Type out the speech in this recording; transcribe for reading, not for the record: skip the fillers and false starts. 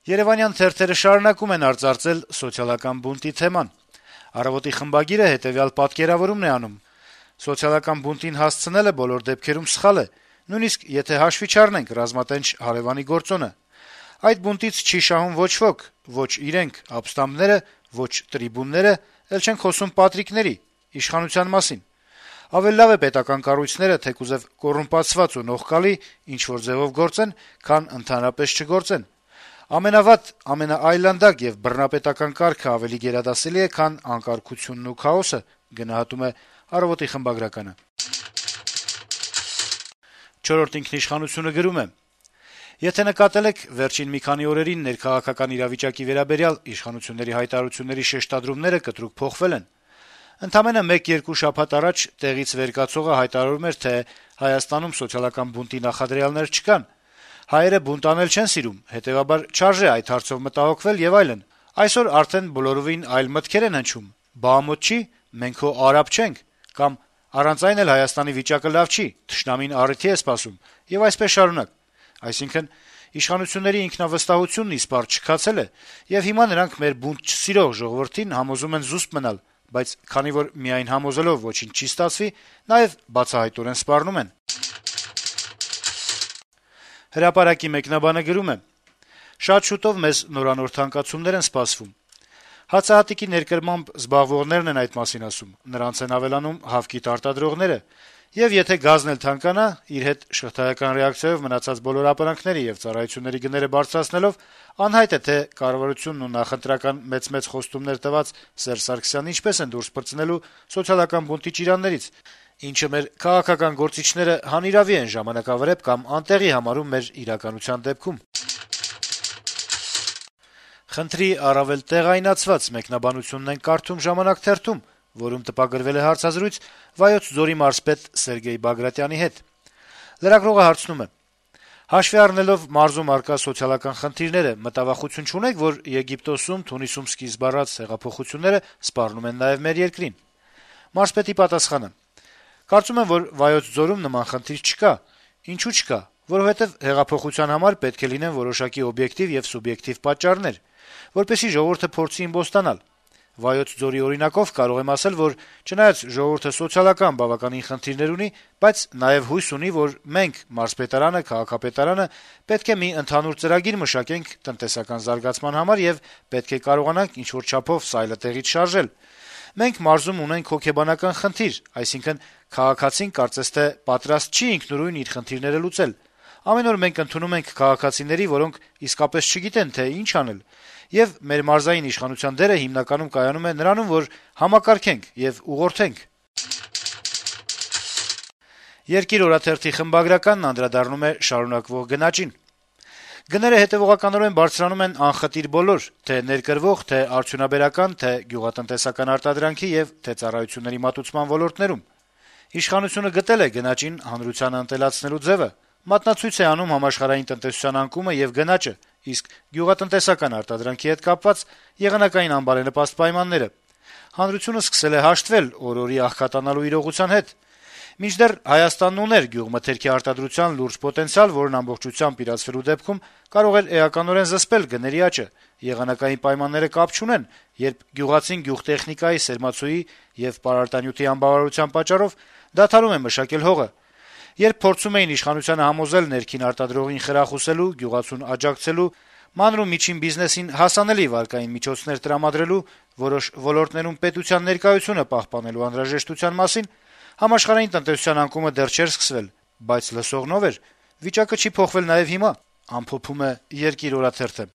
Երեւանյան թերթերը շարունակում են արծարծել սոցիալական բունտի թեման։ «Առավոտ»-ի խմբագիրը հետեւյալ պատկերավորումն է անում. - «Սոցիալական բունտին հասցնելը բոլոր դեպքերում սխալ է, նույնիսկ եթե հաշվի չառնենք ռազմատենչ հարեւանի գործոնը։ Այդ բունտից չի շահում ոչ ոք, ոչ իրենք, ապստամբները, ոչ տրիբունները, էլ չենք խոսում պատրիկների, իշխանության մասին։ Ավելի լավ է պետական կառույցները թեկուզեւ կոռումպացված ու նողկալի ինչ-որ ձեւով գործեն, քան ընդհանրապես չգործեն։ Ամենավատ, ամենաայլանդակ եւ բռնապետական կարգը ավելի գերադասելի է, քան անկարգությունն ու քաոսը», գնահատում է «Առավոտ»-ի խմբագրականը։ «Չորրորդ ինքնիշխանություն»-ը գրում է. - «Եթե նկատել եք, վերջին մի քանի օրերին ներքաղաքական իրավիճակի վերաբերյալ իշխանությունների հայտարարությունների շեշտադրումները կտրուկ փոխվել են։ Ընդամենը 1-2 շաբաթ առաջ տեղից վեր կացողը հայտարարում էր, թե Հայաստանում սոցիալական բունտի նախադրյալներ չկան, հայերը բունտ անել չեն սիրում, հետեւաբար չարժե այդ հարցով մտահոգվել եւ այլն։ Այսօր արդեն բոլորովին այլ մտքեր են հնչում. բա ամոթ չի, մենք հո արաբ չենք, կամ առանց այն էլ Հայաստանի վիճակը լավ չի, թշնամին առիթի է սպասում, եւ այսպես շարունակ։ Այսինքն, իշխանությունների ինքնավստահությունն իսպառ չքացել է, եւ հիմա նրանք մեր բունտ չսիրող ժողովրդին համոզում են զուսպ մնալ, բայց քանի որ միայն համոզելով ոչինչ չի ստացվի, նաեւ բացահայտորեն սպառնում են»։ «Հրապարակ»-ի մեկնաբանը գրում է. - «Շատ շուտով մեզ նորանոր թանկացումներ են սպասվում։ Հացահատիկի ներկրմամբ զբաղվողներն են այդ մասին ասում, նրանց են ավելանում հավկիթ արտադրողները, եւ եթե գազն էլ թանկանա, իր հետ շղթայական ռեակցիայով մնացած բոլոր ապրանքների եւ ծառայությունների գները բարձրացնելով, անհայտ է, թե կառավարությունն ու նախընտրական մեծ խոստումներ տված Սերժ Սարգսյանն ինչպես են դուրս պրծնելու սոցիալական բունտի ճիրաններից, ինչը մեր քաղաքական գործիչները հանիրավի են ժամանակավրեպ կամ անտեղի համարում մեր իրականության դեպքում»։ Խնդրի առավել տեղայնացված մեկնաբանությունն են կարդում «Ժամանակ» թերթում, որում տպագրվել է հարցազրույց Վայոց ձորի մարզպետ Սերգեյ Բագրատյանի հետ։ Լրագրողը հարցնում է. - «Հաշվի առնելով մարզում առկա սոցիալական խնդիրները, մտավախություն չունեք, որ Եգիպտոսում, Թունիսում սկիզբ առած հեղափոխությունները սպառնում են նաեւ մեր երկրին»։ Մարզպետի պատասխանը. - «Կարծում եմ, որ Վայոց ձորում նման խնդիր չկա։ Ինչու՞ չկա։ Որովհետեւ հեղափոխության համար պետք է լինեն որոշակի օբյեկտիվ եւ սուբյեկտիվ պատճառներ, որպեսզի ժողովուրդը փորձի իմբոստանալ։ Վայոց ձորի օրինակով կարող եմ ասել, որ չնայած ժողովուրդը սոցիալական բավականին խնդիրներ ունի, բայց նաեւ հույս ունի, որ մենք, մարզպետարանը, քաղաքապետարանը, պետք է մի ընդհանուր ծրագիր մշակենք տնտեսական զարգացման համար եւ պետք է կարողանանք ինչ-որ չափով սայլը տեղից շարժել։ Մենք մարզում ունենք հոգեբանական խնդիր, այսինքն քաղաքացին կարծես թե պատրաստ չի ինքնուրույն իր խնդիրները լուծել։ Ամեն օր մենք ընդունում ենք քաղաքացիների, որոնք իսկապես չգիտեն, թե ինչ անել, եւ մեր մարզային իշխանության դերը հիմնականում կայանում է նրանում, որ համակարգենք եւ ուղղորդենք»։ «Երկիր» օրաթերթի խմբագրականն անդրադառնում է շարունակվող գնաճին. - «Գները հետեւողականորեն բարձրանում են անխտիր բոլոր, թե ներկրվող, թե արդյունաբերական, թե գյուղատնտեսական արտադրանքի եւ թե ծառայությունների մատուցման ոլորտներում։ Իշխանությունը գտել է գնաճին հանրությանը ընտելացնելու ձեւը, մատնացույց է անում համաշխարհային տնտեսության անկումը եւ գնաճը, իսկ գյուղատնտեսական արտադրանքի հետ կապված եղանակային անբարենպաստ պայմանները։ Հանրությունը սկսել է հաշտվել օր-օրի աղքատանալու իրողության հետ։ Մինչդեռ Հայաստանն ուներ գյուղմթերքի արտադրության լուրջ պոտենցիալ, որն ամբողջությամբ իրացվելու դեպքում կարող էր էականորեն զսպել գների աճը։ Եղանակային պայմանները կապ չունեն, երբ գյուղացին գյուղտեխնիկայի, սերմացուի եւ պարարտանյութի անբավարարության պատճառով դադարում է մշակել հողը։ Երբ փորձում էին իշխանությանը համոզել ներքին արտադրողին խրախուսելու, գյուղացուն աջակցելու, մանր ու միջին բիզնեսին հասանելի վարկային միջոցներ տրամադրելու, որոշ ոլորտներում պետության ներկայությունը պահպանելու անհրաժեշտության մասին, համաշխարհային տնտեսության անկումը դեռ չէր սկսվել, բայց լսողն ով էր։ Վիճակը չի փոխվել նաեւ հիմա», ամփոփում է «Երկիր» օրաթերթը։